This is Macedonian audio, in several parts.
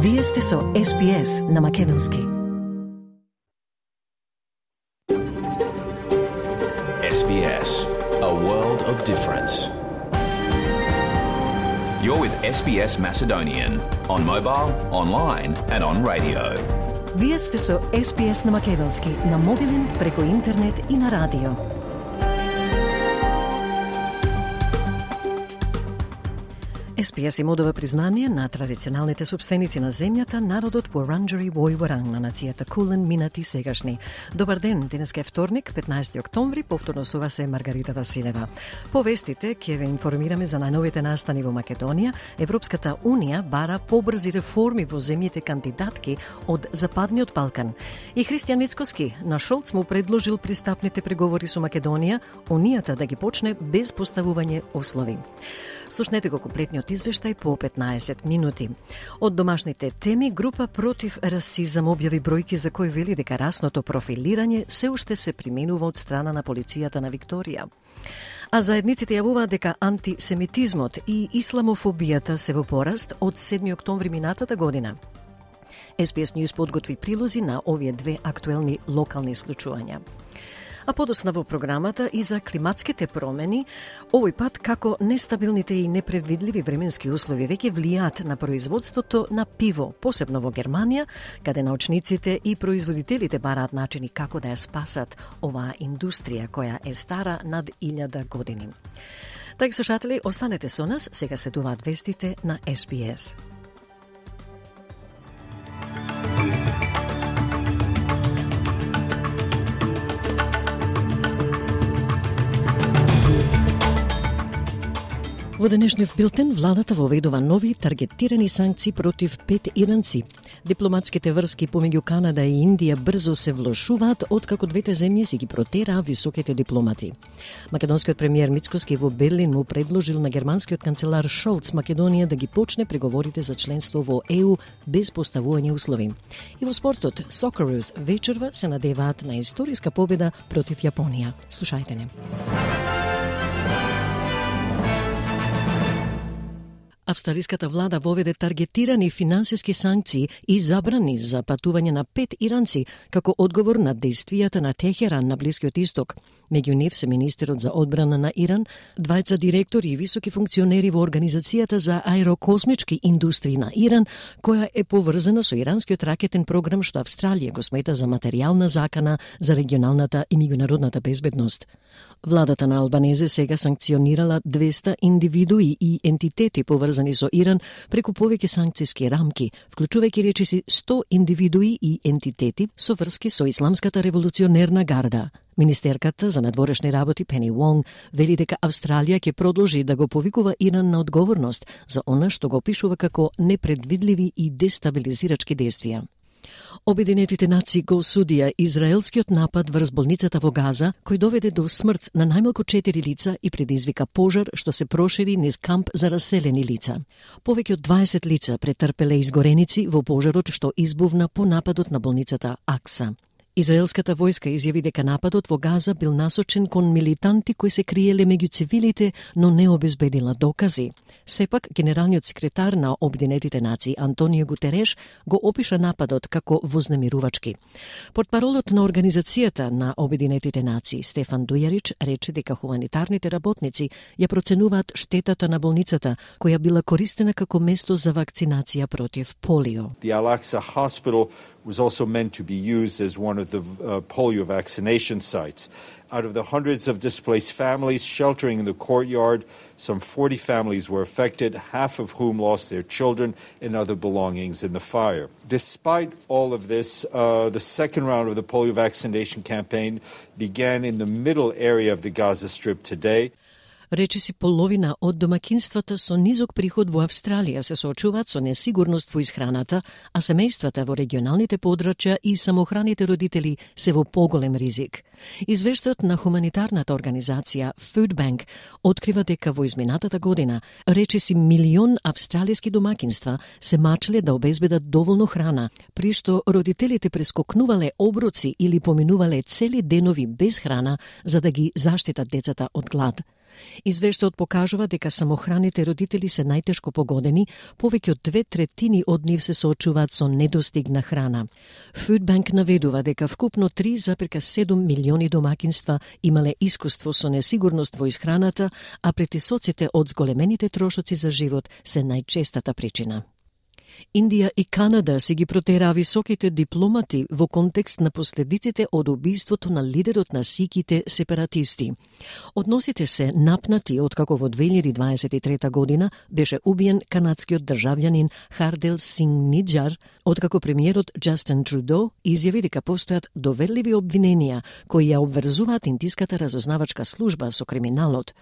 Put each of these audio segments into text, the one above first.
Вие сте со SPS на Македонски. SBS, a world of difference. You're with SBS Macedonian on mobile, online and on radio. Вие сте со SPS на Македонски на мобилен, преку интернет и на радио. SPS им одава признание на традиционалните собственици на земјата, народот Wurundjeri Woi-wurrung на нацијата Кулен, минати сегашни. Добар ден, денеска е вторник, 15 октомври, повторно со вас е Маргарита Василева. По вестите ќе ве информираме за најновите настани во Македонија. Европската Унија бара побрзи реформи во земјите кандидатки од Западниот Балкан. И Христијан Мицкоски на Шолц му предложил пристапните преговори со Македонија, Унијата да ги почне без поставување услови. Слушнете го комплетниот извештај по 15 минути. Од домашните теми, група против расизам објави бројки за кои вели дека расното профилирање се уште се применува од страна на полицијата на Викторија. А заедниците јавуваат дека антисемитизмот и исламофобијата се во пораст од 7 октомври минатата година. SBS News подготви прилози на овие две актуелни локални случувања. А подоцна во програмата и за климатските промени, овој пат како нестабилните и непредвидливи временски услови веќе влијаат на производството на пиво, посебно во Германија, каде научниците и производителите бараат начини како да ја спасат оваа индустрија која е стара над 1000 години. Драги слушатели, останете со нас, сега следуваат вестите на SBS. Во денешниот билтен, владата воведува нови таргетирани санкции против 5 иранци. Дипломатските врски помеѓу Канада и Индија брзо се влошуваат откако двете земји си ги протераа високите дипломати. Македонскиот премиер Мицкоски во Берлин му предложил на германскиот канцелар Шолц Македонија да ги почне преговорите за членство во ЕУ без поставување услови. И во спортот, Socceroos вечерва се надеваат на историска победа против Јапонија. Слушајте не. Австралиската влада воведе таргетирани финансиски санкции и забрани за патување на 5 иранци како одговор на дејствијата на Техеран на Блискиот Исток. Меѓу нив се министерот за одбрана на Иран, двајца директори и високи функционери во Организацијата за аерокосмички индустрии на Иран, која е поврзана со иранскиот ракетен програм што Австралија го смета за материјална закана за регионалната и меѓународната безбедност. Владата на Албанезе сега санкционирала 200 индивидуи и ентитети поврзани со Иран преку повеќе санкциски рамки, вклучувајќи речиси 100 индивидуи и ентитети со врски со Исламската револуционерна гарда. Министерката за надворешни работи Пени Вонг вели дека Австралија ќе продолжи да го повикува Иран на одговорност за она што го опишува како непредвидливи и дестабилизирачки действија. Обединетите нации го осудија израелскиот напад врз болницата во Газа, кој доведе до смрт на најмалку 4 лица и предизвика пожар што се прошири низ камп за раселени лица. Повеќе од 20 лица претрпеле изгореници во пожарот што избувна по нападот на болницата Акса. Израелската војска изјави дека нападот во Газа бил насочен кон милитанти кои се криеле меѓу цивилите, но не обезбедила докази. Сепак, генералниот секретар на Обединетите нации Антонио Гутереш го опиша нападот како вознемирувачки. Портпаролот на Организацијата на Обединетите нации Стефан Дујарич рече дека хуманитарните работници ја проценуваат штетата на болницата, која била користена како место за вакцинација против полио. The Al-Aqsa Hospital was also meant to be used as one of the polio vaccination sites. Out of the hundreds of displaced families sheltering in the courtyard, some 40 families were affected, half of whom lost their children and other belongings in the fire. Despite all of this, the second round of the polio vaccination campaign began in the middle area of the Gaza Strip today. Речиси половина од домакинствата со низок приход во Австралија се соочуваат со несигурност во исхраната, а семејствата во регионалните подрачја и самохраните родители се во поголем ризик. Извештајот на хуманитарната организација Food Bank открива дека во изминатата година речиси 1 милион австралиски домакинства се мачеле да обезбедат доволно храна, при што родителите прескокнувале оброци или поминувале цели денови без храна за да ги заштитат децата од глад. Извештајот покажува дека самохраните родители се најтешко погодени, повеќе од 2/3 од нив се соочуваат со недостиг на храна. Food Bank наведува дека вкупно 3,7 милиони домакинства имале искуство со несигурност во исхраната, а притисоците од зголемените трошоци за живот се најчестата причина. Индија и Канада си ги протераа високите дипломати во контекст на последиците од убиството на лидерот на сиките сепаратисти. Односите се напнати откако во 2023 година беше убиен канадскиот државјанин Хардел Синг Ниджар, откако премиерот Джастин Трудо изјави дека постојат доверливи обвиненија кои ја обврзуваат индиската разузнавачка служба со криминалот.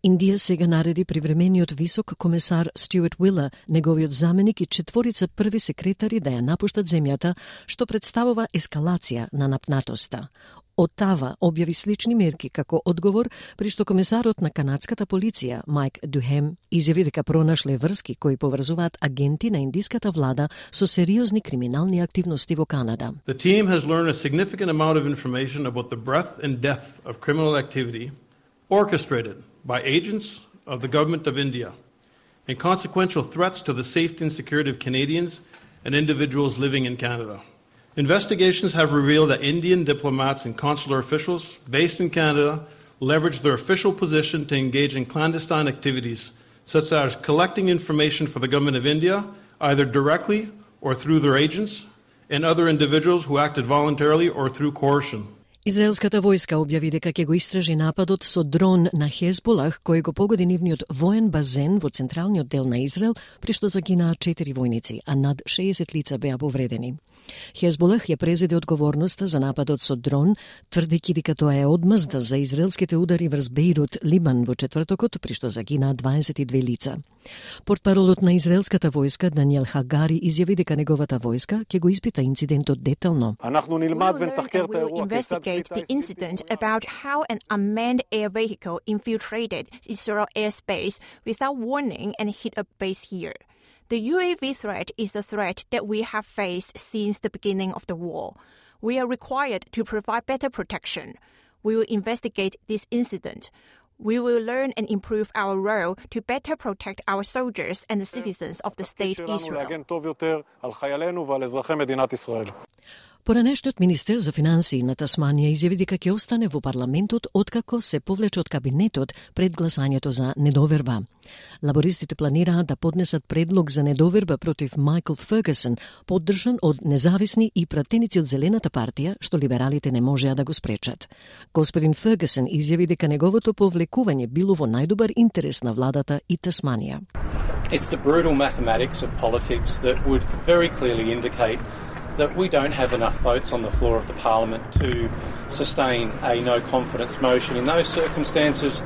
Индија сега нареди привремениот висок комесар Стюарт Уилер, неговиот заменик и 4 први секретари да ја напуштат земјата, што представува ескалација на напнатоста. Отава објави слични мерки како одговор, при што комесарот на канадската полиција Майк Духем изјави дека пронашле врски кои поврзуваат агенти на индиската влада со сериозни криминални активности во Канада. The team has learned a significant amount of information about the breadth and depth of criminal activity orchestrated by agents of the Government of India and consequential threats to the safety and security of Canadians and individuals living in Canada. Investigations have revealed that Indian diplomats and consular officials based in Canada leveraged their official position to engage in clandestine activities such as collecting information for the Government of India, either directly or through their agents, and other individuals who acted voluntarily or through coercion. Израелската војска објави дека ќе го истражи нападот со дрон на Хезболах, кој го погоди нивниот воен базен во централниот дел на Израел, при што загинаа 4 војници, а над 60 лица беа повредени. Хезболах ја презеде одговорноста за нападот со дрон, тврдејќи дека тоа е одмазда за израелските удари врз Бејрут, Либан во четвртокот, при што загинаа 22 лица. Портпаролот на израелската војска Даниел Хагари изјави дека неговата војска ќе го испита инцидентот детално. We investigate the incident about how an unmanned air vehicle infiltrated Israel airspace without warning and hit a base here. The UAV threat is the threat that we have faced since the beginning of the war. We are required to provide better protection. We will investigate this incident. We will learn and improve our role to better protect our soldiers and the citizens of the state Israel. Поранешниот министер за финансии на Тасманија изјави дека ќе остане во парламентот откако се повлече од кабинетот пред гласањето за недоверба. Лабористите планираат да поднесат предлог за недоверба против Майкл Фергюсон, поддржан од независни и пратеници од Зелената партија, што либералите не можеа да го спречат. Господин Фергюсон изјави дека неговото повлекување било во најдобар интерес на владата и Тасманија. It's the brutal mathematics of politics that would very clearly indicate that we don't have enough votes on the floor of the Parliament to sustain a no-confidence motion. In those circumstances,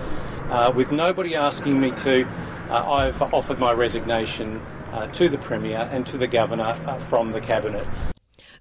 with nobody asking me to, I've offered my resignation to the Premier and to the Governor from the Cabinet.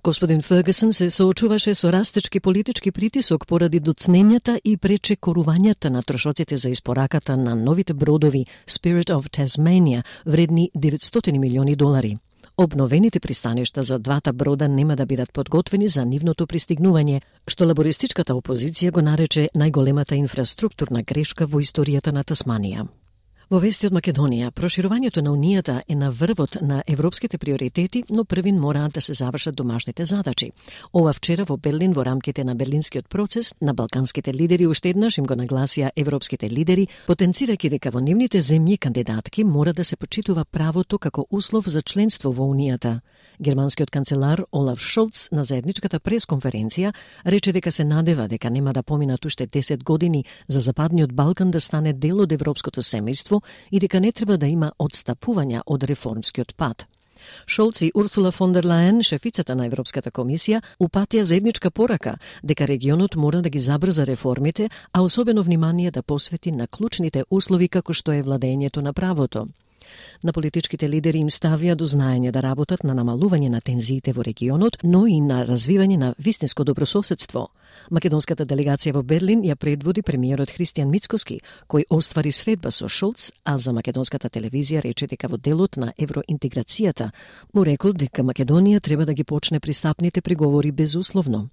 Господин Фергюсон се соочуваше со растечки политички притисок поради доцнењата и пречекорувањата на трошоците за испораката на новите бродови Spirit of Tasmania, вредни $900 милиони. Обновените пристаништа за двата брода нема да бидат подготвени за нивното пристигнување, што лабористичката опозиција го нарече најголемата инфраструктурна грешка во историјата на Тасманија. Во вести од Македонија, проширувањето на Унијата е на врвот на европските приоритети, но првин мораат да се завршат домашните задачи. Ова вчера во Берлин во рамките на Берлинскиот процес на балканските лидери уште еднаш им го нагласија европските лидери, потенцирајќи дека во нивните земји кандидатки мора да се почитува правото како услов за членство во Унијата. Германскиот канцелар Олаф Шолц на заедничката пресконференција рече дека се надева дека нема да поминат уште 10 години за Западниот Балкан да стане дел од европското семејство и дека не треба да има одстапувања од реформскиот пат. Шолц и Урсула фон дер Лајен, шефицата на Европската комисија, упатија заедничка порака дека регионот мора да ги забрза реформите, а особено внимание да посвети на клучните услови како што е владењето на правото. На политичките лидери им ставија до знаење да работат на намалување на тензиите во регионот, но и на развивање на вистинско добрососедство. Македонската делегација во Берлин ја предводи премиерот Христијан Мицкоски, кој оствари средба со Шолц, а за македонската телевизија рече дека во делот на евроинтеграцијата му рекол дека Македонија треба да ги почне пристапните преговори безусловно.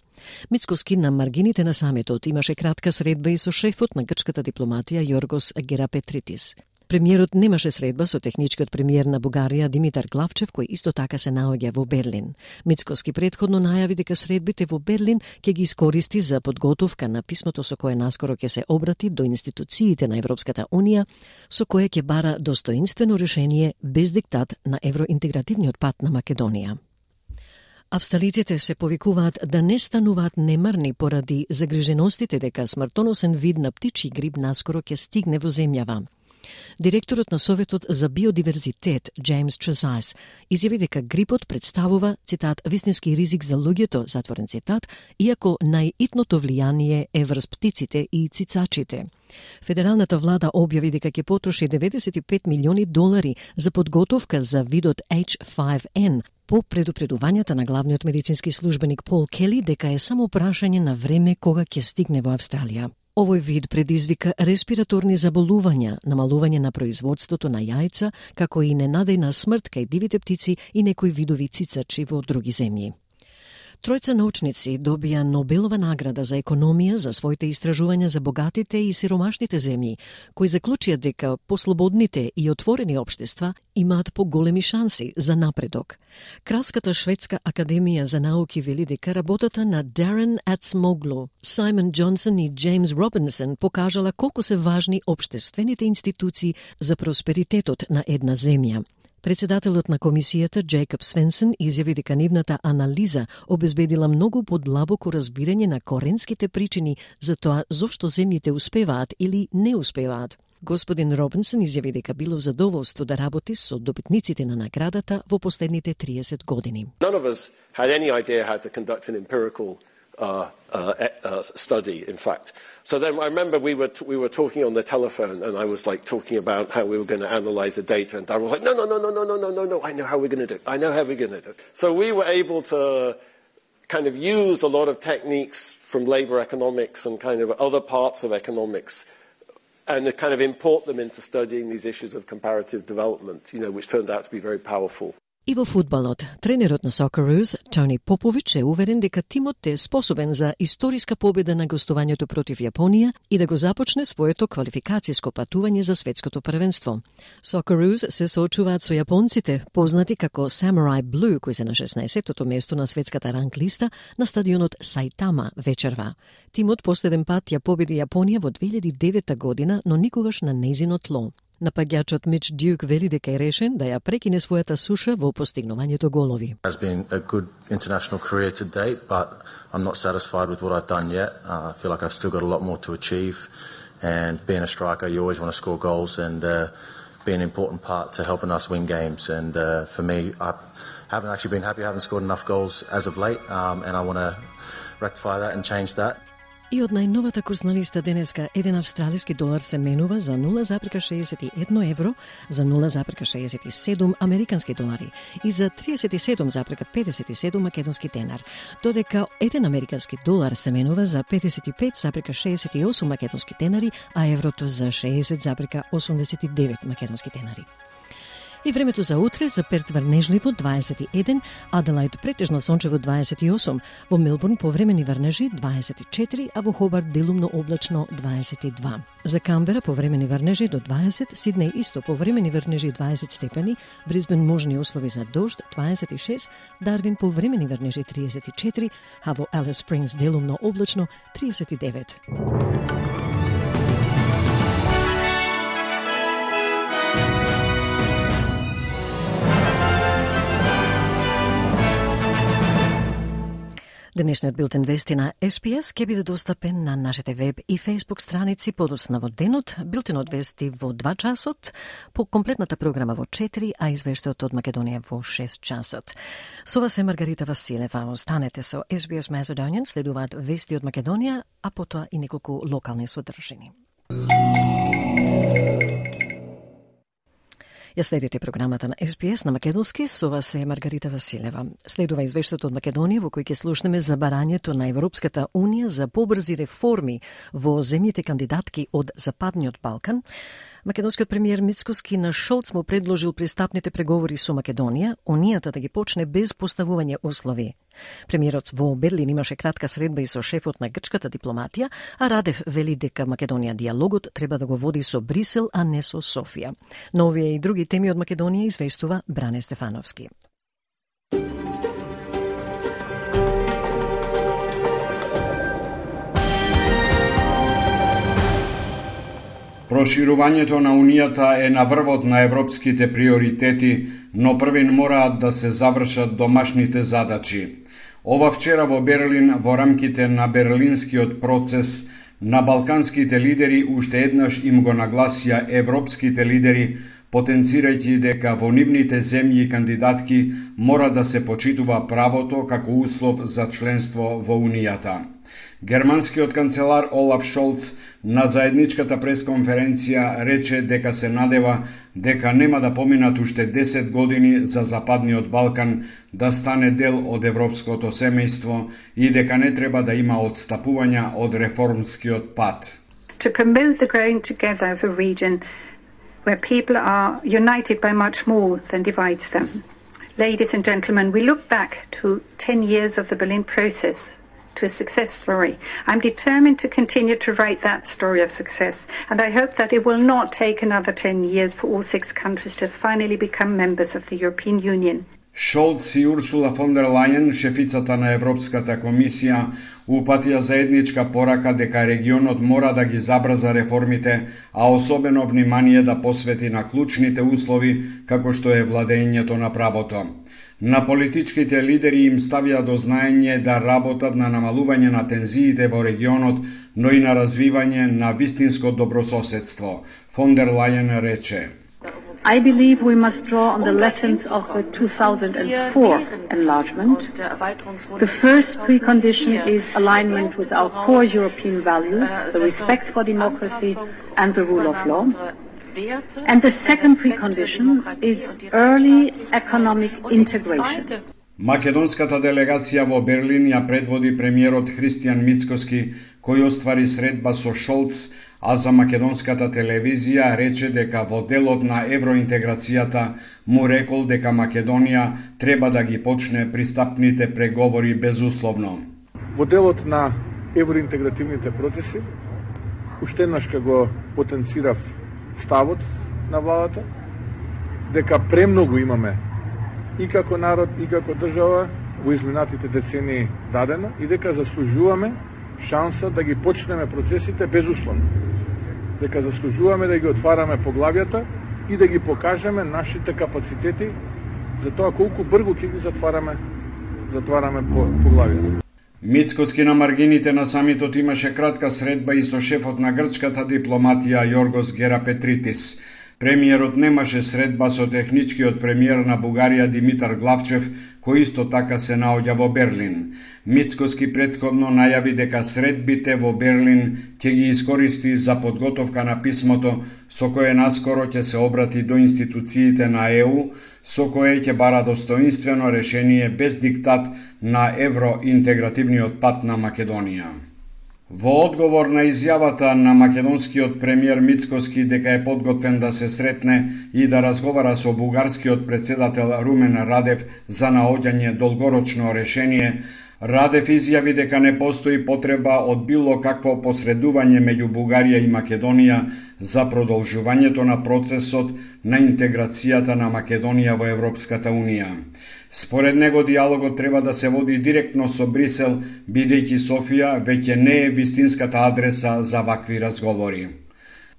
Мицкоски на маргините на самитот имаше кратка средба и со шефот на грчката дипломатија Јоргос Герапетритис. Премиерот немаше средба со техничкиот премиер на Бугарија Димитар Главчев, кој исто така се наоѓа во Берлин. Мицкоски предходно најави дека средбите во Берлин ќе ги искористи за подготовка на писмото со кое наскоро ќе се обрати до институциите на Европската Унија, со кое ќе бара достоинствено решение без диктат на евроинтегративниот пат на Македонија. Австралиците се повикуваат да не стануваат немарни поради загриженостите дека смртоносен вид на птичји грип наскоро ќе стигне во земјава. Директорот на Советот за биодиверзитет Джеймс Чезайс изјави дека грипот представува, цитат, вистински ризик за луѓето, затворен цитат, иако најитното влијание е врз птиците и цицачите. Федералната влада објави дека ќе потроши $95 милиони за подготовка за видот H5N, по предупредувањата на главниот медицински службеник Пол Кели дека е само прашање на време кога ќе стигне во Австралија. Овој вид предизвика респираторни заболувања, намалување на производството на јајца, како и ненадејна смрт кај дивите птици и некои видови цицачи во други земји. Тројца научници добија Нобелова награда за економија за своите истражувања за богатите и сиромашните земји, кои заклучија дека послободните и отворени општества имаат поголеми шанси за напредок. Кралската шведска академија за науки вели дека работата на Дарен Ацмоглу, Саймон Джонсон и Джеймс Робинсон покажала колку се важни општествените институции за просперитетот на една земја. Председателот на комисијата Джейкоб Свенсен изјави дека нивната анализа обезбедила многу подлабоко разбирање на коренските причини за тоа зошто земјите успеваат или не успеваат. Господин Робинсон изјави дека било задоволство да работи со добитниците на наградата во последните 30 години. None of us had any idea how to conduct an empirical study, in fact. So then I remember we were talking on the telephone, and I was like talking about how we were going to analyze the data, and Darren was like, no, I know how we're going to do it. I know how we're going to do it. So we were able to kind of use a lot of techniques from labor economics and kind of other parts of economics and to kind of import them into studying these issues of comparative development, which turned out to be very powerful. И во фудбалот, тренерот на Socceroos, Тони Попович, е уверен дека тимот е способен за историска победа на гостувањето против Јапонија и да го започне своето квалификацијско патување за светското првенство. Socceroos се соочуваат со јапонците, познати како Samurai Blue, кои се на 16-тото место на светската ранглиста на стадионот Саитама вечерва. Тимот последен пат ја победи Јапонија во 2009 година, но никогаш на нејзино тло. Напаѓачот Мич Дюк вели дека е решен да ја прекине својата суша во постигнувањето голови. It has been a good international career to date, but I'm not satisfied with what I've done yet. I feel like I've still got a lot more to achieve, and being a striker, you always want to score goals and be an important part to helping us win games. And for me, I haven't actually been happy. I haven't scored enough goals as of late, and I want to rectify that and change that. И од најновата курсна листа денеска, еден австралиски долар се менува за 0,61 евро, за 0,67 американски долари и за 37,57 македонски денар, додека еден американски долар се менува за 55,68 македонски денари, а еврото за 60,89 македонски денари. И времето за утре: за Перт врнежливо 21, Аделаид претежно сончево 28, во Мелбурн повремени врнежи 24, а во Хобарт делумно облачно 22. За Камбера повремени врнежи до 20, Сиднеј исто повремени врнежи 20 степени, Брисбен можни услови за дожд 26, Дарвин повремени врнежи 34, а во Алис Спрингс делумно облачно 39. Денешниот билтен вести на SPS ќе биде достапен на нашите веб и Facebook страници подоцна во денот, билтенот вести во 2 часот, по комплетната програма во 4, а извештајот од Македонија во 6 часот. Со вас е Маргарита Василева. Останете со SBS Macedonian, следуваат вести од Македонија, а потоа и неколку локални содржини. Ја следите програмата на СПС на македонски, со вас е Маргарита Василева. Следува извештајот од Македонија во кој ќе слушнеме за барањето на Европската Унија за побрзи реформи во земјите кандидатки од Западниот Балкан. Македонскиот премиер Мицкоски на Шолц му предложил пристапните преговори со Македонија, Унијата да ги почне без поставување услови. Премиерот во Берлин имаше кратка средба и со шефот на грчката дипломатија, а Радев вели дека Македонија диалогот треба да го води со Брисел, а не со Софија. Но овие и други теми од Македонија извештува Бране Стефановски. Проширувањето на Унијата е на врвот на европските приоритети, но првин мораат да се завршат домашните задачи. Ова вчера во Берлин, во рамките на Берлинскиот процес, на балканските лидери уште еднаш им го нагласија европските лидери, потенцирајќи дека во нивните земји кандидатки мора да се почитува правото како услов за членство во Унијата. Германскиот канцелар Олаф Шолц на заедничката пресконференција рече дека се надева дека нема да поминат уште 10 години за Западниот Балкан да стане дел од европското семејство и дека не треба да има отстапувања од реформскиот пат. To promote the growing together of a region where people are united by much more than divides them. Ladies and gentlemen, we look back to 10 years of the Berlin process to a success story. I'm determined to continue to write that story of success, and I hope that it will not take another 10 years for all 6 countries to finally become members of the European Union. Шолц и Урсула фон дер Лајен, шефицата на Европската комисија, упатија заедничка порака дека регионот мора да ги забрза реформите, а особено внимание да посвети на клучните услови, како што е владењето на правото. На политичките лидери им ставија до знаење да работат на намалување на тензиите во регионот, но и на развивање на вистинско добрососедство. Фон дер Лајен рече: I believe we must draw on the lessons of the 2004 enlargement. The first precondition is alignment with our core European values, the respect for democracy and the rule of law. And the second precondition is early economic integration. Македонската делегација во Берлин ја предводи премиерот Христијан Мицкоски, кој оствари средба со Шолц, а за македонската телевизија рече дека во делот на евроинтеграцијата му рекол дека Македонија треба да ги почне пристапните преговори безусловно. Во делот на евроинтегративните процеси, уште еднаш го потенцирав ставот на владата, дека премногу имаме и како народ, и како држава во изминатите децении дадено и дека заслужуваме шанса да ги почнеме процесите безусловно. Дека заслужуваме да ги отвараме поглавјата и да ги покажеме нашите капацитети за тоа колку брзо ќе ги затвараме поглавјата. Мицкоски на маргините на самитот имаше кратка средба и со шефот на грчката дипломатија Јоргос Герапетритис. Премиерот немаше средба со техничкиот премиер на Бугарија Димитар Главчев, кој исто така се наоѓа во Берлин. Мицкоски претходно најави дека средбите во Берлин ќе ги искористи за подготовка на писмото со кое наскоро ќе се обрати до институциите на ЕУ, со кое ќе бара достоинствено решение без диктат на евроинтегративниот пат на Македонија. Во одговор на изјавата на македонскиот премиер Мицкоски дека е подготвен да се сретне и да разговара со бугарскиот председател Румен Радев за наоѓање долгорочно решение, Радев изјави дека не постои потреба од било какво посредување меѓу Бугарија и Македонија за продолжувањето на процесот на интеграцијата на Македонија во Европската Унија. Според него диалогот треба да се води директно со Брисел, бидејќи Софија веќе не е вистинската адреса за вакви разговори.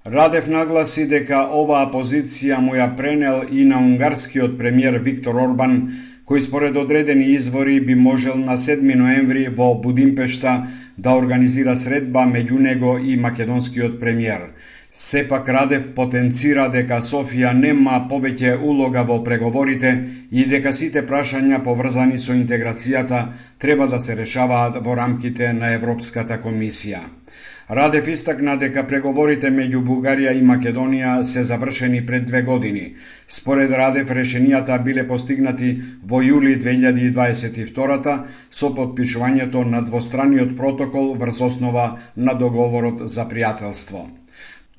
Радев нагласи дека оваа позиција му ја пренел и на унгарскиот премиер Виктор Орбан, кој според одредени извори би можел на 7 ноември во Будимпешта да организира средба меѓу него и македонскиот премиер. Сепак Радев потенцира дека Софија нема повеќе улога во преговорите и дека сите прашања поврзани со интеграцијата треба да се решаваат во рамките на Европската комисија. Радев истакна дека преговорите меѓу Бугарија и Македонија се завршени пред 2 години. Според Радев, решенијата биле постигнати во јули 2022 со подпишувањето на двостраниот протокол врз основа на договорот за пријателство.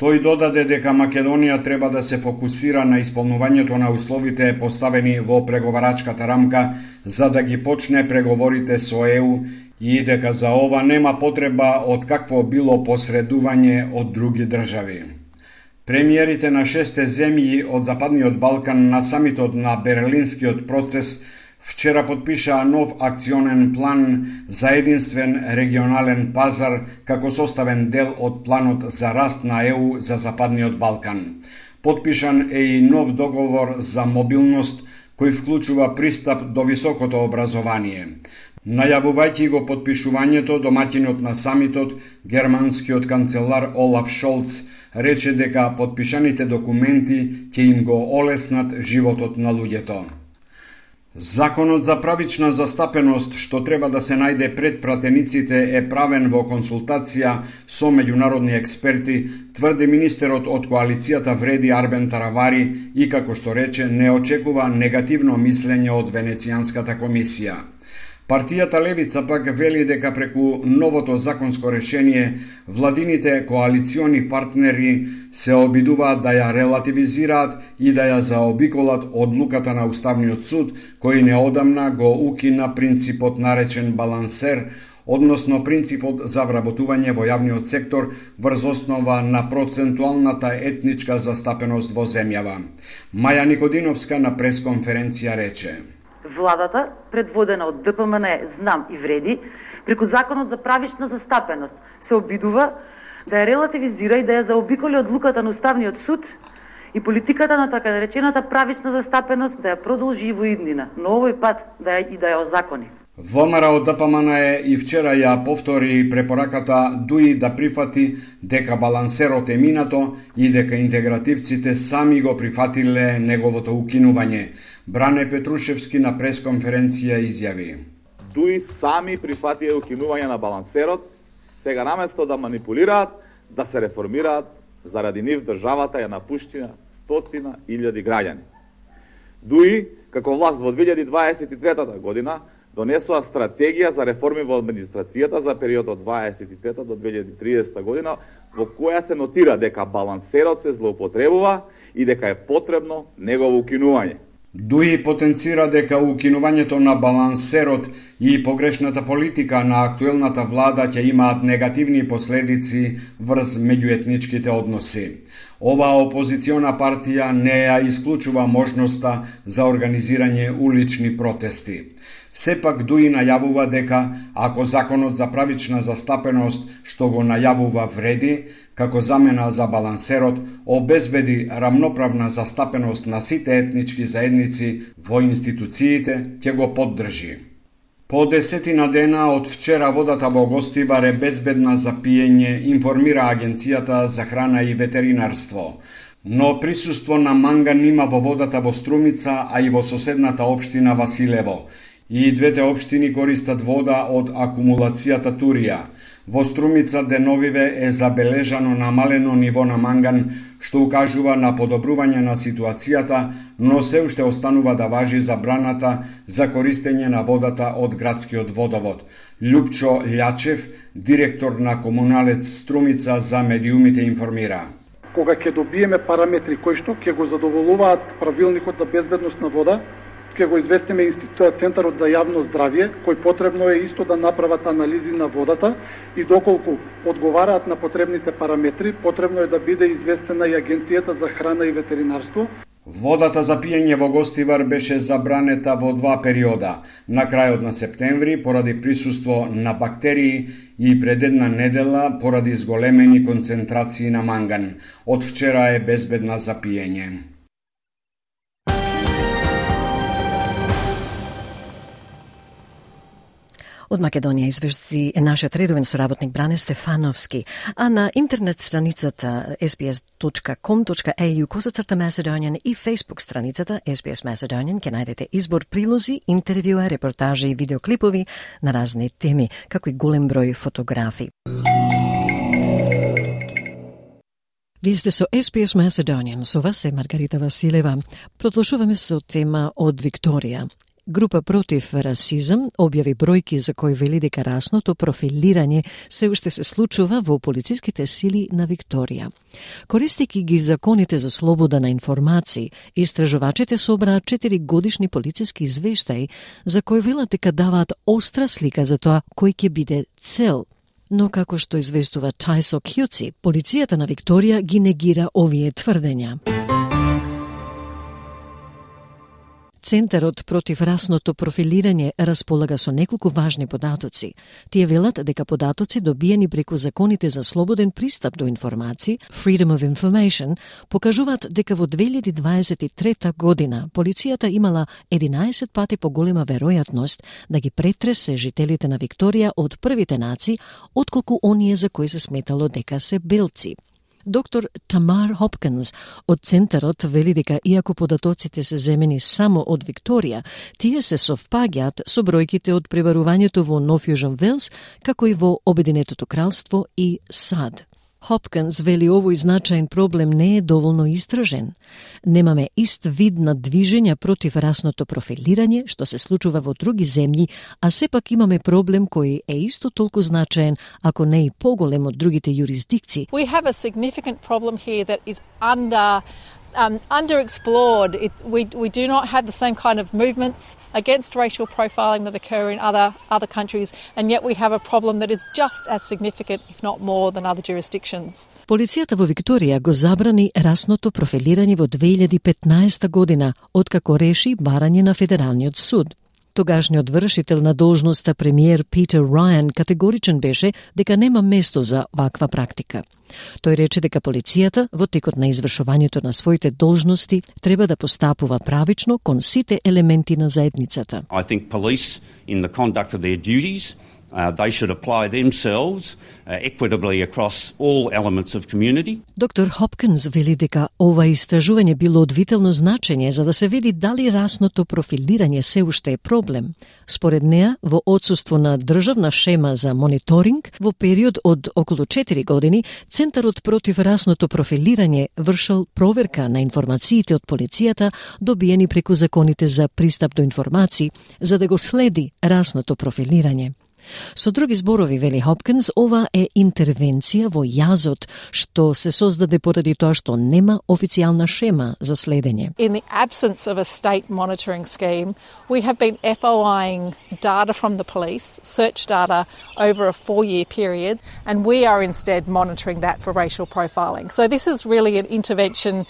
Тој додаде дека Македонија треба да се фокусира на исполнувањето на условите поставени во преговарачката рамка за да ги почне преговорите со ЕУ и дека за ова нема потреба од какво било посредување од други држави. Премиерите на 6 земји од Западниот Балкан на самитот на Берлинскиот процес вчера подпишаа нов акционен план за единствен регионален пазар како составен дел од планот за раст на ЕУ за Западниот Балкан. Подпишан е и нов договор за мобилност кој вклучува пристап до високото образование. Најавувајќи го подпишувањето, домаќинот на самитот, германскиот канцелар Олаф Шолц, рече дека подпишаните документи ќе им го олеснат животот на луѓето. Законот за правична застапеност, што треба да се најде пред пратениците, е правен во консултација со меѓународни експерти, тврди министерот од коалицијата Вреди Арбен Таравари и, како што рече, не очекува негативно мислење од Венецијанската комисија. Партијата Левица пак вели дека преку новото законско решение владините коалициони партнери се обидуваат да ја релативизираат и да ја заобиколат одлуката на Уставниот суд, кој неодамна го укина принципот наречен балансер, односно принципот за вработување во јавниот сектор врз основа на процентуалната етничка застапеност во земјава. Маја Никодиновска на пресконференција рече: Владата, предводена од ДПМН, Знам и Вреди, преку Законот за правична застапеност, се обидува да ја релативизира и да ја заобиколи одлуката на Уставниот суд и политиката на така наречената правична застапеност да ја продолжи во иднина, но овој пат да ја озакони. ВМРО од ДПМН и вчера ја повтори препораката ДУИ да прифати дека балансерот е минато и дека интегративците сами го прифатиле неговото укинување. Бране Петрушевски на пресконференција изјави: ДУИ сами прифатија укинување на балансерот, сега наместо да манипулираат, да се реформираат, заради нив државата ја напуштина 100.000 граѓани. ДУИ, како власт во 2023 година, донесува стратегија за реформи во администрацијата за периодот од 23 до 2030 година, во која се нотира дека балансерот се злоупотребува и дека е потребно негово укинување. ДУИ потенцира дека укинувањето на балансерот и погрешната политика на актуелната влада ќе имаат негативни последици врз меѓуетничките односи. Оваа опозициона партија не ја исклучува можноста за организирање улични протести. Сепак ДУИ најавува дека ако законот за правична застапеност што го најавува Вреди, како замена за балансерот, обезбеди рамноправна застапеност на сите етнички заедници во институциите, ќе го поддржи. По 10 дена од вчера водата во Гостивар е безбедна за пиење, информира Агенцијата за храна и ветеринарство. Но присуство на манган има во водата во Струмица, а и во соседната општина Василево. И двете општини користат вода од акумулацијата Турија. Во Струмица деновиве е забележано намалено ниво на манган, што укажува на подобрување на ситуацијата, но се уште останува да важи забраната за користење на водата од градскиот водовод. Љупчо Лјачев, директор на Комуналец Струмица, за медиумите информира: Кога ќе добиеме параметри кои што ќе го задоволуваат правилникот за безбедност на вода, ќе го известиме Центарот за јавно здравје, кој потребно е исто да направат анализи на водата и доколку одговараат на потребните параметри, потребно е да биде известена и Агенцијата за храна и ветеринарство. Водата за пиење во Гостивар беше забранета во 2 периода. На крајот на септември поради присуство на бактерии и пред една недела поради зголемени концентрации на манган. Од вчера е безбедна за пиење. Од Македонија извести нашиот редовен соработник Бране Стефановски, а на интернет страницата sbs.com.au/Macedonian и Facebook страницата SBS Macedonian ќе најдете избор прилози, интервјуа, репортажи и видеоклипови на разни теми, како и голем број фотографии. Вие сте со SBS Macedonian, со вас е Маргарита Василева. Прослушуваме со тема од Викторија. Група против расизам објави бројки за кои вели дека расното профилирање се уште се случува во полициските сили на Викторија. Користејќи ги законите за слобода на информации, истражувачите собраа 4 годишни полициски извештаи за кои велат дека даваат остра слика за тоа кој ќе биде цел. Но како што известува Тајсо Кјуци, полицијата на Викторија ги негира овие тврдења. Центарот против расното профилирање располага со неколку важни податоци. Тие велат дека податоци добиени преку законите за слободен пристап до информации, Freedom of Information, покажуваат дека во 2023 година полицијата имала 11 пати поголема веројатност да ги претресе жителите на Викторија од првите нации, отколку оние за кои се сметало дека се белци. Доктор Тамар Хопкинс од Центарот вели дека иако податоците се земени само од Викторија, тие се совпаѓаат со бројките од пребарувањето во Нов Јужен Велс, како и во Обединетото кралство и САД. Хопкинс вели овој значаен проблем не е доволно истражен. Немаме ист вид на движења против расното профилирање, што се случува во други земји, а сепак имаме проблем кој е исто толку значаен, ако не и поголем од другите юрисдикции. We have a significant problem here that is underexplored. We do not have the same kind of movements against racial profiling that occur in other countries, and yet we have a problem that is just as significant, if not more, than other jurisdictions. Полицијата во Викторија го забрани расното профилирање во 2015 година, откако реши барање на Федералниот суд. Тогашниот вршител на должноста премиер Питер Рајан категоричен беше дека нема место за ваква практика. Тој рече дека полицијата во текот на извршувањето на своите должности треба да постапува правично кон сите елементи на заедницата. I think police in the conduct of their duties they should apply themselves equitably across all elements of community. Доктор Хопкинс вели дека ова истражување било од витално значење за да се види дали расното профилирање се уште е проблем. Според неа, во отсуство на државна шема за мониторинг, во период од околу 4 години, Центарот против расното профилирање вршал проверка на информациите од полицијата добиени преку законите за пристап до информации, за да го следи расното профилирање. Со други зборови, вели Хопкинс, ова е интервенција во јазот што се создаде поради тоа што нема официјална шема за следење. In the absence of a state monitoring scheme, we have been FOIing data from the police, search data over a 4-year period, and we are instead monitoring that for racial profiling. So this is really an intervention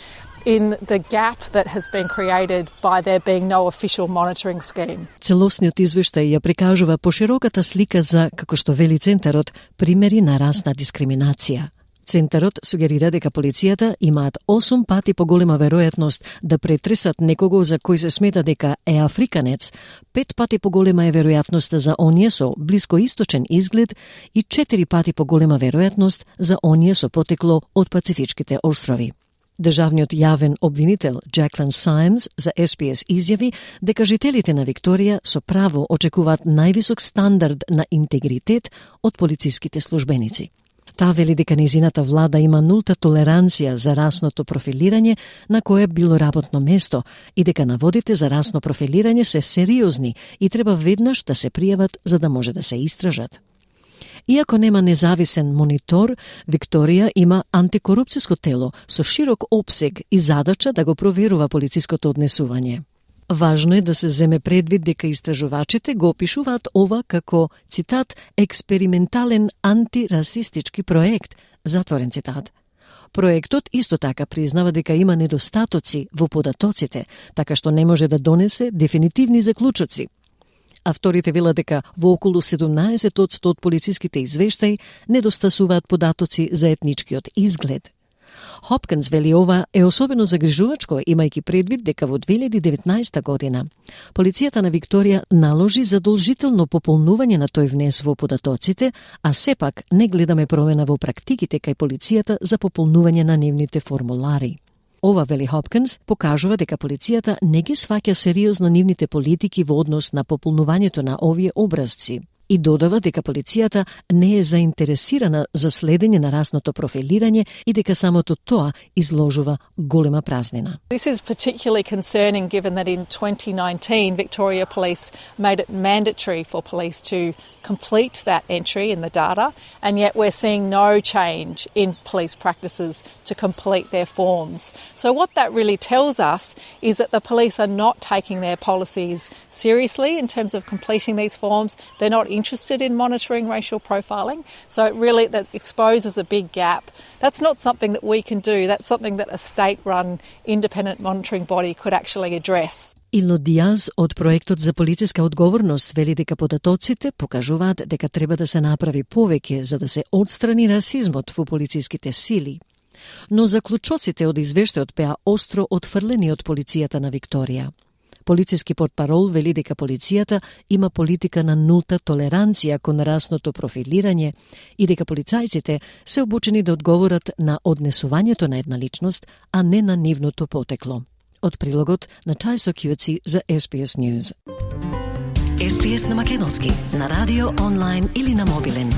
in the gap that has been created by there being no official monitoring scheme. Целосниот извештај ја прикажува пошироката слика за, како што вели Центарот, примери на расна дискриминација. Центарот сугерира дека полицијата имаат 8 пати поголема веројатност да претресат некого за кој се смета дека е африканец, 5 пати поголема е веројатноста за оние со блискоисточен изглед и 4 пати поголема веројатност за оние со потекло од Пацифичките острови. Државниот јавен обвинител Джаклин Сајмс за SBS изјави дека жителите на Викторија со право очекуваат највисок стандард на интегритет од полициските службеници. Таа вели дека незината влада има нулта толеранција за расното профилирање на кое било работно место и дека наводите за расно профилирање се сериозни и треба веднаш да се пријават за да може да се истражат. Иако нема независен монитор, Викторија има антикорупцијско тело со широк опсег и задача да го проверува полициското однесување. Важно е да се земе предвид дека истражувачите го опишуваат ова како, цитат, експериментален антирасистички проект, затворен цитат. Проектот исто така признава дека има недостатоци во податоците, така што не може да донесе дефинитивни заклучоци. Авторите велат дека во околу 17% од полициските извештаи недостасуваат податоци за етничкиот изглед. Хопкинс вели ова е особено загрижувачко, имајќи предвид дека во 2019 година полицијата на Викторија наложи задолжително пополнување на тој внес во податоците, а сепак не гледаме промена во практиките кај полицијата за пополнување на нивните формулари. Ова, вели Хопкинс, покажува дека полицијата не ги сваќа сериозно нивните политики во однос на пополнувањето на овие образци. И додава дека полицијата не е заинтересирана за следење на расното профилирање и дека самото тоа изложува голема празнина. This is particularly concerning given that in 2019 Victoria Police made it mandatory for police to complete that entry in the data, and yet we're seeing no change in police practices to complete their forms. So what that really tells us is that the police are not taking their policies seriously in terms of completing these forms. They're not interested in monitoring racial profiling. So it really that exposes a big gap. That's not something that we can do. That's something that a state-run independent monitoring body could actually address. Илно Диаз од проектот за полициска одговорност вели дека податоците покажуваат дека треба да се направи повеќе за да се отстрани расизмот во полициските сили. Но заклучоците од извештајот беа остро отфрлени од полицијата на Викторија. Полициски портпарол вели дека полицијата има политика на нулта толеранција кон расното профилирање и дека полицајците се обучени да одговорат на однесувањето на една личност, а не на нивното потекло. Од прилогот на Тајсо Кјуци за SBS News. SBS на македонски, на радио, онлайн или на мобилен.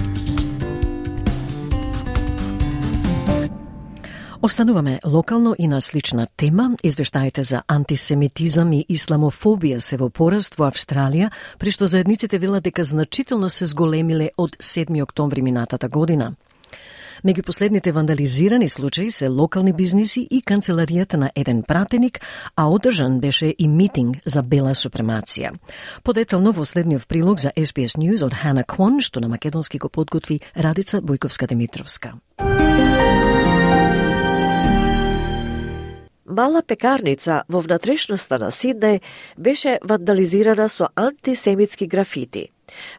Остануваме локално и на слична тема. Извештаите за антисемитизам и исламофобија се во пораст во Австралија, при што заедниците велат дека значително се зголемиле од 7 октомври минатата година. Меѓу последните вандализирани случаи се локални бизниси и канцеларијата на еден пратеник, а одржан беше и митинг за бела супремација. Подетално во следниот прилог за SBS News од Хана Квон, што на македонски го подготви Радица Бојковска-Димитровска. Мала пекарница во внатрешноста на Сиднеј беше вандализирана со антисемитски графити.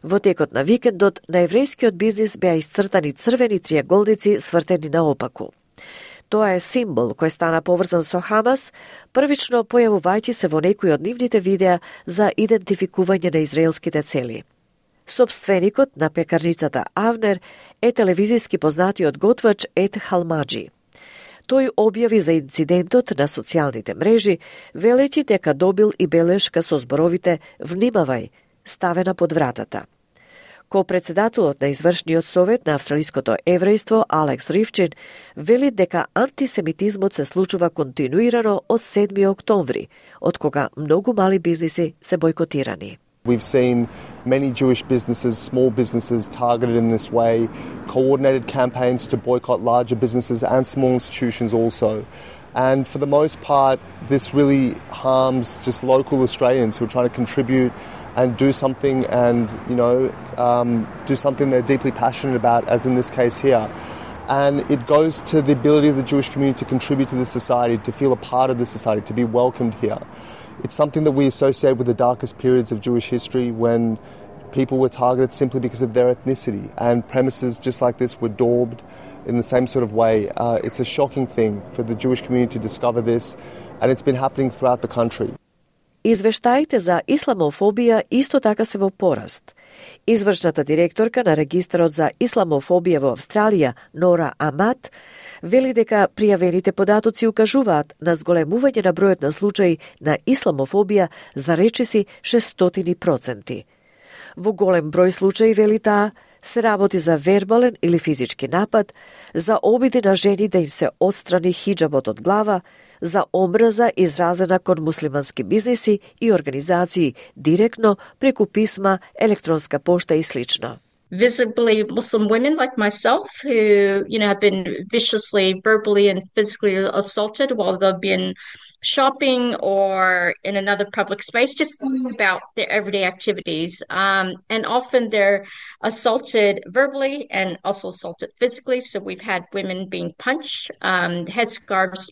Во текот на викендот на еврејскиот бизнис беа исцртани црвени триаголници свртени наопаку. Тоа е символ кој стана поврзан со Хамас, првично појавувајќи се во некои од нивните видеа за идентификување на израелските цели. Собственикот на пекарницата Авнер е телевизиски познатиот готвач Ед Халмаджи. Тој објави за инцидентот на социјалните мрежи, велејќи дека добил и белешка со зборовите «Внимавај», ставена под вратата. Ко-председателот на извршниот совет на австралиското еврејство Алекс Ривчин вели дека антисемитизмот се случува континуирано од 7 октомври, од кога многу мали бизниси се бойкотирани. We've seen many Jewish businesses, small businesses targeted in this way, coordinated campaigns to boycott larger businesses and small institutions also. And for the most part, this really harms just local Australians who are trying to contribute and do something and, do something they're deeply passionate about, as in this case here. And it goes to the ability of the Jewish community to contribute to this society, to feel a part of this society, to be welcomed here. It's something that we associate with the darkest periods of Jewish history when people were targeted simply because of their ethnicity, and premises just like this were daubed in the same sort of way. It's a shocking thing for the Jewish community to discover this, and it's been happening throughout the country. Извештаите за исламофобија исто така се во пораст. Извршната директорка на Регистарот за исламофобија во Австралија, Нора Амат, вели дека пријавените податоци укажуваат на зголемување на бројот на случаи на исламофобија за речиси 600%. Во голем број случаи, вели таа, се работи за вербален или физички напад, за обиди на жени да им се отстрани хиджабот од глава, за омраза изразена кон муслимански бизниси и организации директно преку писма, електронска пошта и слично. Visibly Muslim women like myself who, have been viciously, verbally and physically assaulted while they've been shopping or in another public space, just going about their everyday activities. And often they're assaulted verbally and also assaulted physically. So we've had women being punched, headscarves,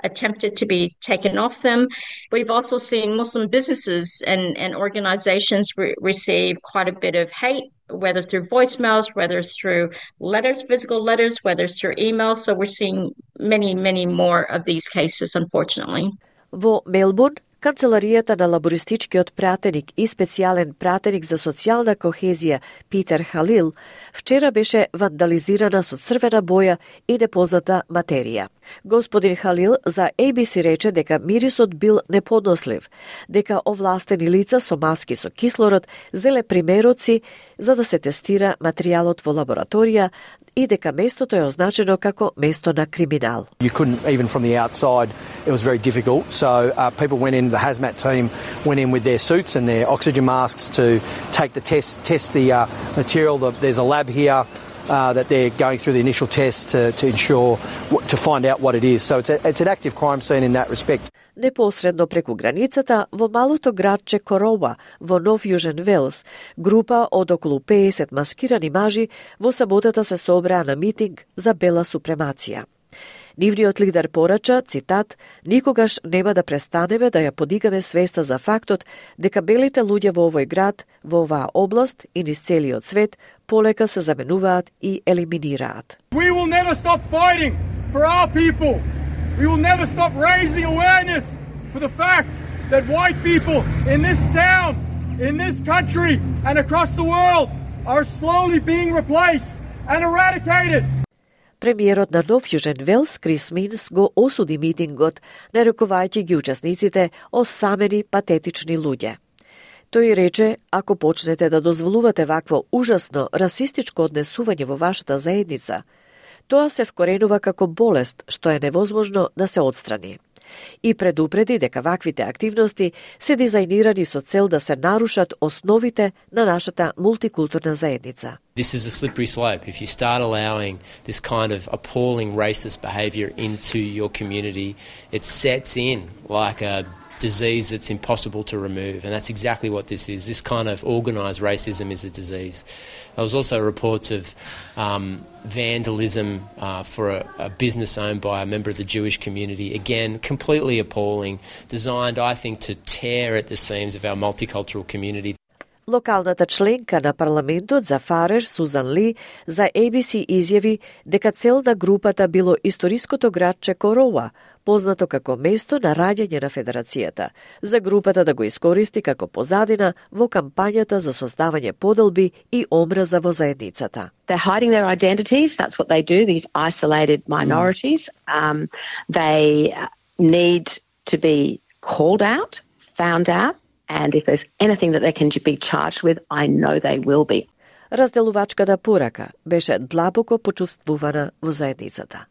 attempted to be taken off them. We've also seen Muslim businesses and organizations receive quite a bit of hate, whether through voicemails, whether through letters, physical letters, whether through emails. So we're seeing many, many more of these cases, unfortunately. Во Мелбурн, Канцеларијата на лабористичкиот пратеник и специјален пратеник за социјална кохезија Питер Халил вчера беше вандализирана со црвена боја и непозната материја. Господин Халил за ABC рече дека мирисот бил неподнослив, дека овластени лица со маски со кислород зеле примероци за да се тестира материјалот во лабораторија и дека местото е означено како место на криминал. You couldn't, even from the outside, it was very difficult. So people went in, the hazmat team went in with their suits and their oxygen masks to take the test the material. There's a lab here that they're going through the initial tests to ensure, to find out what it is. So it's an active crime scene in that respect. Непосредно преку границата, во малото градче Короба, во Нов Јужен Велс, група од околу 50 маскирани мажи во саботата се собраа на митинг за бела супремација. Нивниот лидер порача, цитат, никогаш нема да престанеме да ја подигаме свеста за фактот дека белите луѓе во овој град, во оваа област и низ целиот свет полека се заменуваат и елиминираат. We will never stop fighting for our people. We will never stop raising awareness for the fact that white people in this town, in this country and across the world are slowly being replaced and eradicated. Премиерот на Нов Јужен Велс, Крис Минс, го осуди митингот, нарекувајќи ги учесниците осамени патетични луѓе. Тој рече, ако почнете да дозволувате вакво ужасно расистичко однесување во вашата заедница, тоа се вкоренува како болест што е невозможно да се отстрани. И предупреди дека ваквите активности се дизајнирани со цел да се нарушат основите на нашата мултикултурна заедница. This is a slippery slope. If you start allowing this kind of appalling racist behaviour into your community, it sets in like a disease that's impossible to remove, and that's exactly what this is. This kind of organised racism is a disease. There was also reports of vandalism for a business owned by a member of the Jewish community. Again, completely appalling, designed, I think, to tear at the seams of our multicultural community. Локалната членка на парламентот за Фарер, Сузан Ли, за ABC изјави дека цел на групата било историското градче Короа, познато како место на раѓање на Федерацијата, за групата да го искористи како позадина во кампањата за создавање поделби и омраза во заедницата. They're hiding their identities, that's what they do, these isolated minorities. They need to be called out, found out, and if there's anything that they can be charged with, I know they will be. Разделувачката порака беше длабоко почувствувана во заедницата.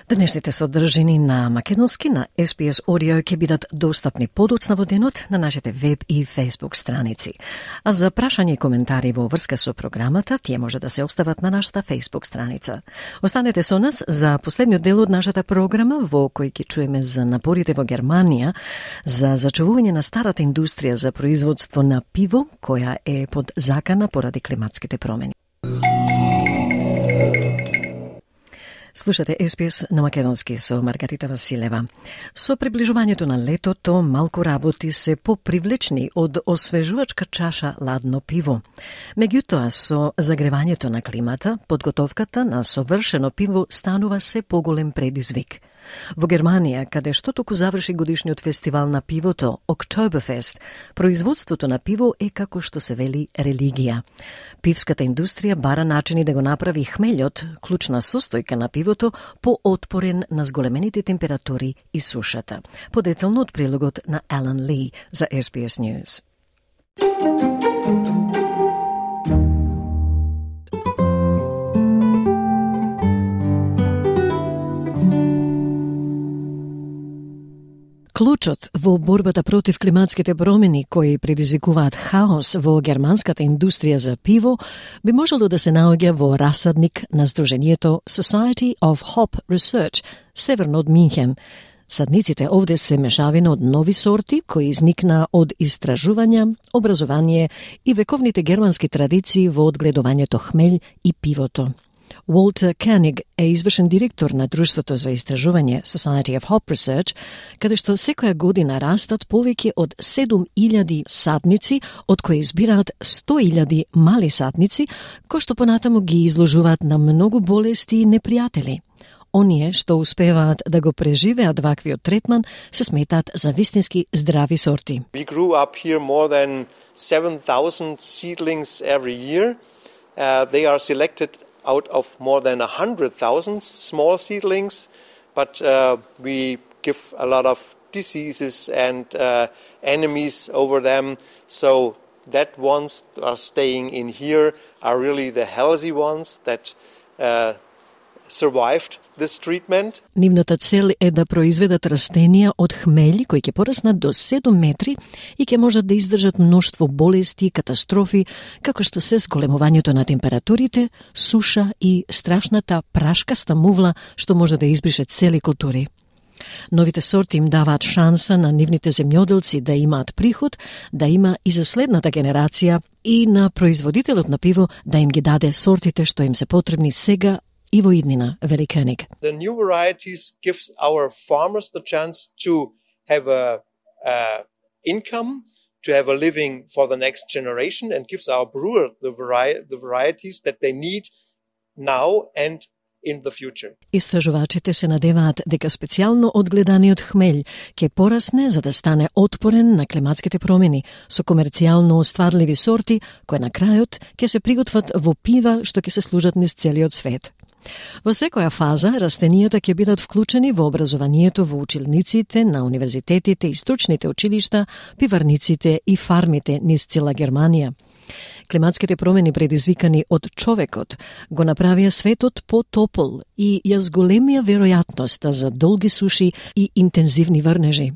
Денешните содржини на македонски на SPS Audio ќе бидат достапни подоцна во денот на нашите веб и Facebook страници. А за прашање и коментари во врска со програмата, тие може да се остават на нашата Facebook страница. Останете со нас за последниот дел од нашата програма, во кој ќе чуеме за напорите во Германија за зачувување на старата индустрија за производство на пиво, која е под закана поради климатските промени. Слушате SPS на македонски со Маргарита Василева. Со приближувањето на летото, малку работи се попривлечни од освежувачка чаша ладно пиво. Меѓутоа, со загревањето на климата, подготовката на совршено пиво станува се поголем предизвик. Во Германија, каде што току заврши годишниот фестивал на пивото, Oktoberfest, производството на пиво е како што се вели религија. Пивската индустрија бара начини да го направи хмелјот, клучна состојка на пивото, поотпорен на зголемените температури и сушата. Подетелно од прилогот на Алан Ли за SBS News. Клучот во борбата против климатските промени кои предизвикуваат хаос во германската индустрија за пиво би можело да се наоѓа во расадник на Сдруженијето Society of Hop Research, северно од Минхен. Садниците овде се мешавина од нови сорти кои изникна од истражувања, образование и вековните германски традиции во одгледувањето хмелј и пивото. Walter Koenig е извршен директор на Друштвото за истражување Society of Hop Research, каде што секоја година растат повеќе од 7.000 садници, од кои избираат 100.000 мали садници, кои што понатаму ги изложуваат на многу болести и непријатели. Оние што успеваат да го преживеат ваквиот третман се сметаат за вистински здрави сорти. We grew up here more than 7,000 seedlings every year. They are selected out of more than 100,000 small seedlings, but we give a lot of diseases and enemies over them. So that ones are staying in here are really the healthy ones that survived this treatment. Нивната цел е да произведат растенија од хмелј кои ќе пораснат до 7 метри и ќе можат да издржат мноштво болести и катастрофи, како што се зголемувањето на температурите, суша и страшната прашкаста мувла што може да избрише цели култури. Новите сорти им даваат шанса на нивните земјоделци да имаат приход, да има и за следната генерација и на производителот на пиво да им ги даде сортите што им се потребни сега и во иднина, вели König. The new varieties gives our farmers the chance to have a income, to have a living for the next generation, and gives our brewer the varieties that they need now and in the future. Истражувачите се надеваат дека специјално одгледаниот хмелј ќе порасне за да стане отпорен на климатските промени со комерцијално остварливи сорти кои на крајот ќе се приготват во пива што ќе се служат низ целиот свет. Во секоја фаза, растенијата ќе бидат вклучени во образованието во училниците на универзитетите и стручните училишта, пиварниците и фармите низ цела Германија. Климатските промени предизвикани од човекот го направија светот потопол и ја зголемија веројатноста за долги суши и интензивни врнежи.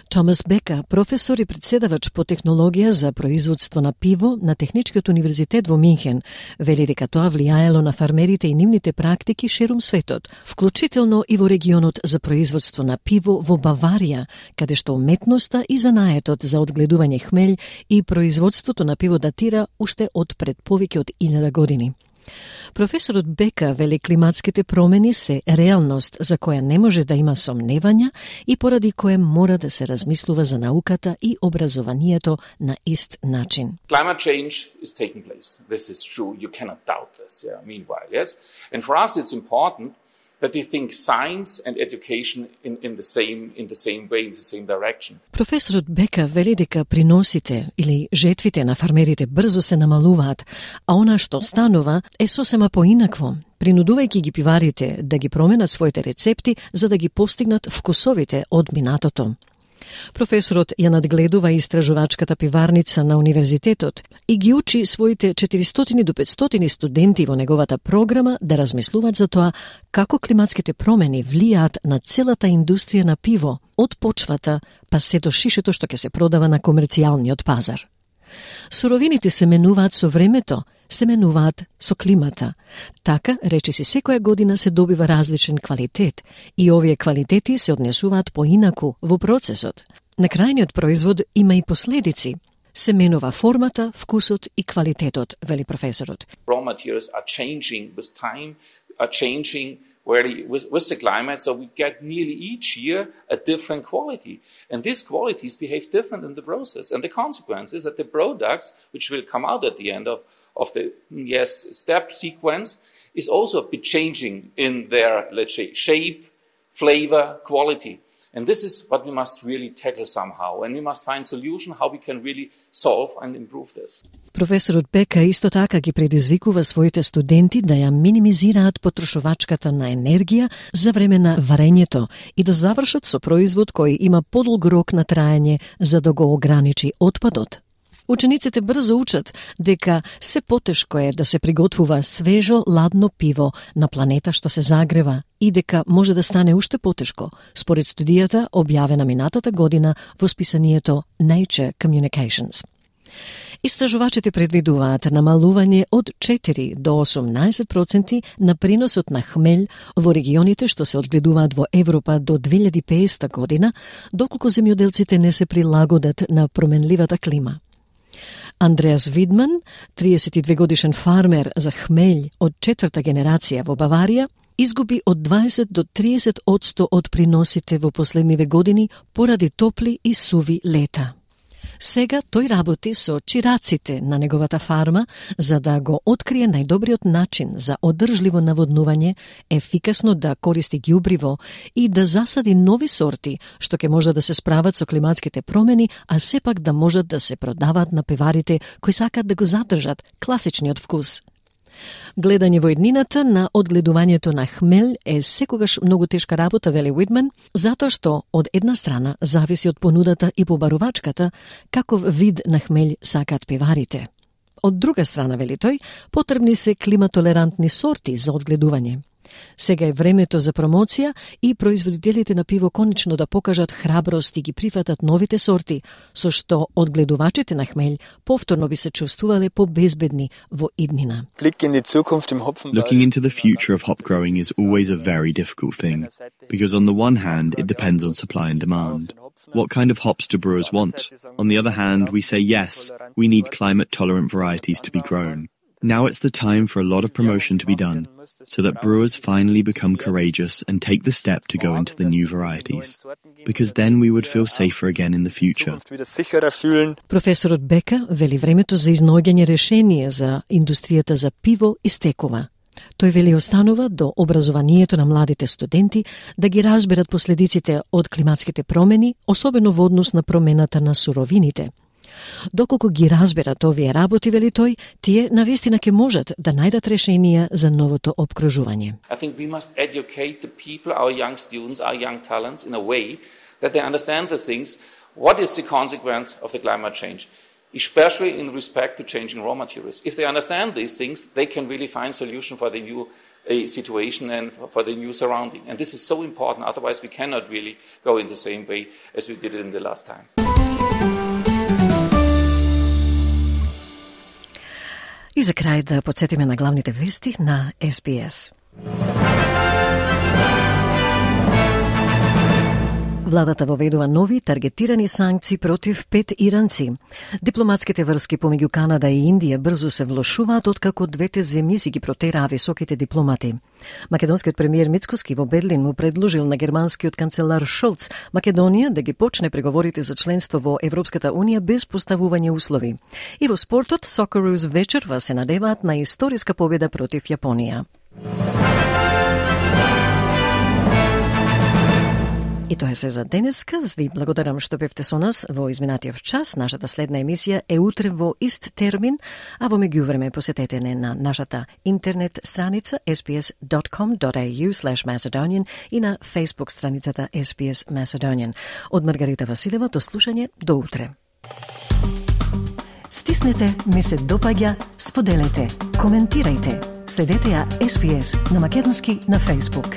Томас Бека, професор и председавач по технологија за производство на пиво на Техничкиот универзитет во Минхен, вели дека тоа влијаело на фармерите и нивните практики ширум светот, вклучително и во регионот за производство на пиво во Баварија, каде што уметноста и занаетот за одгледување хмелј и производството на пиво датира уште од пред повеќе од 1000 години. Професорот Бека вели климатските промени се реалност за која не може да има сомневања и поради кое мора да се размислува за науката и образованието на ист начин. Climate change is taking place. This is true. You cannot doubt this. Yeah. Meanwhile, yes. And for us it's important that they think science and education in the same way, in the same direction. Професорот Бека вели дека приносите или жетвите на фармерите брзо се намалуваат, а она што станува е сосема поинакво, принудувајќи ги пиварите да ги променат своите рецепти за да ги постигнат вкусовите од минатото. Професорот ја надгледува истражувачката пиварница на универзитетот и ги учи своите 400 до 500 студенти во неговата програма да размислуваат за тоа како климатските промени влијаат на целата индустрија на пиво, од почвата па се до шишето што ќе се продава на комерцијалниот пазар. Суровините се менуваат со времето, се менуваат со климата. Така, речиси, секоја година се добива различен квалитет и овие квалитети се однесуваат поинаку во процесот. На крајниот производ има и последици. Се менува формата, вкусот и квалитетот, вели професорот. Raw materials are changing with time, are changing with the climate, so we get nearly each year a different quality. And these qualities behave different in the process. And the consequence is that the products, which will come out at the end of the step sequence, is also a bit changing in their, let's say, shape, flavor, quality. And this is what we must really tackle somehow. And we must find solution how we can really solve and improve this. Професорот Бека исто така ги предизвикува своите студенти да ја минимизираат потрошувачката на енергија за време на варењето и да завршат со производ кој има подолг рок на траење за да го ограничи отпадот. Учениците брзо учат дека се потешко е да се приготвува свежо, ладно пиво на планета што се загрева и дека може да стане уште потешко, според студијата објавена минатата година во списанието Nature Communications. Истражувачите предвидуваат намалување од 4 до 18% на приносот на хмелј во регионите што се одгледуваат во Европа до 2050 година, доколку земјоделците не се прилагодат на променливата клима. Андреас Видман, 32 годишен фармер за хмелј од 4-та генерација во Баварија, изгуби од 20 до 30% од приносите во последниве години поради топли и суви лета. Сега тој работи со чираците на неговата фарма за да го открие најдобриот начин за одржливо наводнување, ефикасно да користи ѓубриво и да засади нови сорти што ќе може да се справат со климатските промени, а сепак да можат да се продаваат на пиварите кои сакаат да го задржат класичниот вкус. Гледање во иднината на одгледувањето на хмел е секогаш многу тешка работа, вели Уитман, затоа што од една страна зависи од понудата и побарувачката каков вид на хмел сакаат пиварите. Од друга страна, вели тој, потребни се климатолерантни сорти за одгледување. Сега е времето за промоција и производителите на пиво конечно да покажат храброст и ги прифатат новите сорти, со што одгледувачите на хмелј повторно би се чувствувале побезбедни во иднина. Looking into the future of hop growing is always a very difficult thing, because on the one hand it depends on supply and demand. What kind of hops do brewers want? On the other hand, we say yes, we need climate-tolerant varieties to be grown. Now it's the time for a lot of promotion to be done, so that brewers finally become courageous and take the step to go into the new varieties, because then we would feel safer again in the future. Професорот Бека вели времето за изнаоѓање решение за индустријата за пиво истекува. Тој вели останува до образованието на младите студенти да ги разберат последиците од климатските промени, особено во однос на промената на суровините. Доколку ги разберат овие работи, вели тој, тие навистина ќе можат да најдат решенија за новото опкружување. I think we must educate the people, our young students, our young talents in a way that they understand the things. What is the consequence of the climate change? Especially in respect to changing raw materials. If they understand these things, they can really find solution for the new situation and for the new surrounding. And this is so important, otherwise we cannot really go in the same way as we did it in the last time. И за крај да подсетиме на главните вести на SBS. Владата воведува нови таргетирани санкции против 5 иранци. Дипломатските врски помеѓу Канада и Индија брзо се влошуваат откако двете земји си ги протераа високите дипломати. Македонскиот премиер Мицкоски во Берлин му предложил на германскиот канцелар Шолц Македонија да ги почне преговорите за членство во Европската унија без поставување услови. И во спортот Socceroos вечерва се надеваат на историска победа против Јапонија. И тоа е се за денеска. Ви благодарам што бевте со нас во изминатиот час. Нашата следна емисија е утре во ист термин, а во меѓувреме посетете не на нашата интернет страница sbs.com.au/Macedonian и на Facebook страницата SBS Macedonian. Од Маргарита Василева до слушање до утре. Стиснете, ми се допаѓа, споделете, коментирајте. Следете ја SBS на македонски на Facebook.